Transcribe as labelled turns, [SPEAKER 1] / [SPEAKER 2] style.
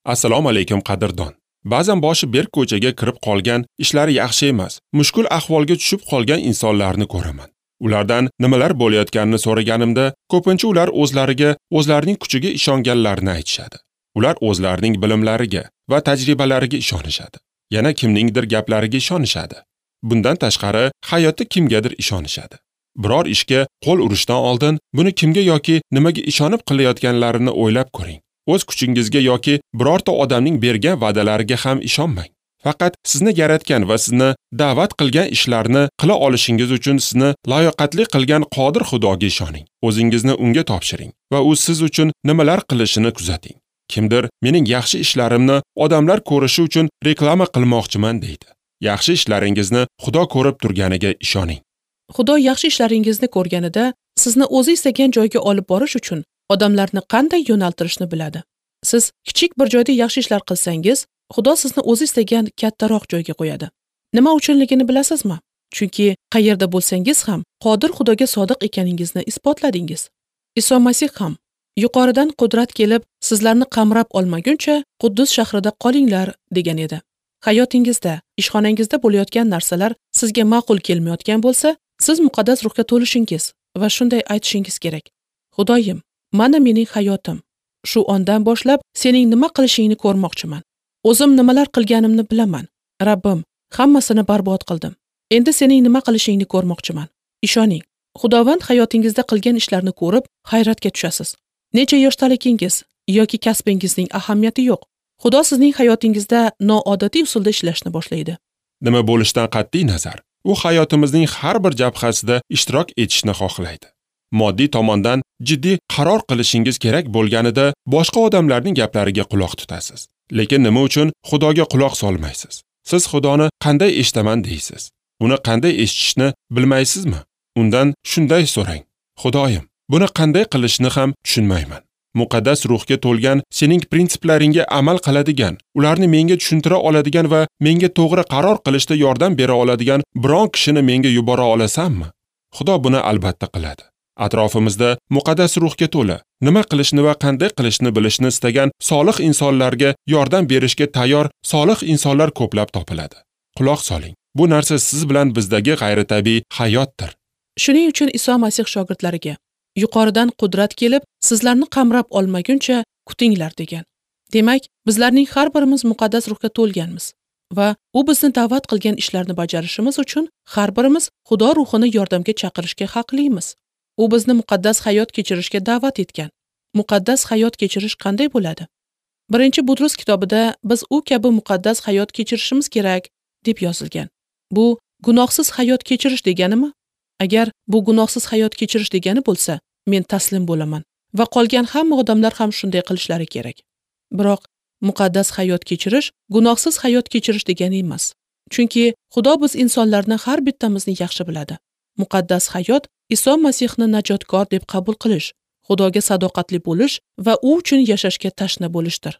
[SPEAKER 1] Assalomu alaykum qadrdon. Ba'zan boshi berk ko'chaga kirib qolgan, ishlari yaxshi emas, mushkul ahvolga tushib qolgan insonlarni ko'raman. Ulardan nimalar bo'layotganini so'raganimda, ko'pincha ular o'zlariga, o'zlarining kuchiga ishonganlarini aytishadi. Ular o'zlarining bilimlariga va tajribalariga ishonishadi. Yana kimningdir gaplariga ishonishadi. Bundan tashqari, hayotda kimgadir ishonishadi. Biror ishga qo'l urishdan oldin buni kimga yoki nimaga ishonib qilayotganlarini o'ylab ko'ring. O'z kuchingizga yoki birorta odamning bergan va'dalariga ham ishonmang. Faqat sizni yaratgan va sizni da'vat qilgan ishlarni qila olishingiz uchun sizni layoqatli qilgan qodir Xudoga ishoning. O'zingizni unga topshiring va u siz uchun nimalar qilishini kuzating. Kimdir mening yaxshi ishlarimni odamlar ko'rishi uchun reklama qilmoqchiman deydi. Yaxshi ishlaringizni Xudo ko'rib turganiga ishoning.
[SPEAKER 2] Xudo yaxshi ishlaringizni ko'rganida sizni o'zi istagan joyga olib borish uchun odamlarni qanday yo'naltirishni biladi. Siz kichik bir joyda yaxshi ishlar qilsangiz, Xudo sizni o'zi istagan kattaroq joyga qo'yadi. Nima uchunligini bilasizmi? Chunki qayerda bo'lsangiz ham qodir Xudoga sodiq ekaningizni isbotladingiz. Iso Masih ham yuqoridan qudrat kelib sizlarni qamrab olmaguncha Quddus shahrida qolinglar degan edi. Hayotingizda, ishxonangizda bo'layotgan narsalar sizga ma'qul kelmayotgan bo'lsa, siz muqaddas ruhga to'lishingiz va shunday aytishingiz kerak: Xudoyim, mana mening hayotim. Shu ondan boshlab sening nima qilishingni ko'rmoqchiman. O'zim nimalar qilganimni bilaman. Rabbim, hammasini barbod qildim. Endi sening nima qilishingni ko'rmoqchiman. Ishoning, Xudovand hayotingizda qilgan ishlarni ko'rib hayratga tushasiz. Necha yoshdaligingiz yoki kasbingizning ahamiyati yo'q. Xudo sizning hayotingizda noodatiy usulda ishlashni boshlaydi.
[SPEAKER 1] Nima bo'lishidan qat'iy nazar, u hayotimizning har bir jabhasida ishtirok etishni xohlaydi. Moddiy tomondan jiddiy qaror qilishingiz kerak bo'lganida boshqa odamlarning gaplariga quloq tutasiz. Lekin nima uchun Xudoga quloq solmaysiz? Siz Xudoni qanday eshitaman deysiz? Uni qanday eshitishni bilmaysizmi? Undan shunday so'rang: Xudoyim, buni qanday qilishni ham tushunmayman. Muqaddas ruhga to'lgan, sening prinsiplaringga amal qiladigan, ularni menga tushuntira oladigan va menga to'g'ri qaror qilishda yordam bera oladigan biron kishini menga yubora olasanmi? Xudo buni albatta qiladi. Atrofimizda muqaddas ruhga to'la, nima qilishni va qanday qilishni bilishni istagan solih insonlarga yordam berishga tayyor solih insonlar ko'plab topiladi. Quloq soling. Bu narsa siz bilan bizdagi g'ayritabiiy hayotdir.
[SPEAKER 2] Shuning uchun Iso Masih shogirdlariga yuqoridan qudrat kelib, sizlarni qamrab olmaguncha kutinglar degan. Demak, bizlarning har birimiz muqaddas ruhga to'lganmiz va u bizni da'vat qilgan ishlarni bajarishimiz uchun har birimiz Xudo ruhini yordamga chaqirishga haqlimiz. U bizni muqaddas hayot kechirishga da'vat etgan. Muqaddas hayot kechirish qanday bo'ladi? 1-Butrus kitobida biz u kabi muqaddas hayot kechirishimiz kerak deb yozilgan. Bu gunohsiz hayot kechirish deganimi? Agar bu gunohsiz hayot kechirish degani bo'lsa, men taslim bo'laman va qolgan hamma odamlar ham shunday qilishlari kerak. Biroq muqaddas hayot kechirish gunohsiz hayot kechirish degani emas. Chunki Xudo biz insonlarni har bittamizni yaxshi biladi. Muqaddas hayot Iso Masihni najotkor deb qabul qilish, Xudoga sadoqatli bo'lish va u uchun yashashga tashna bo'lishdir.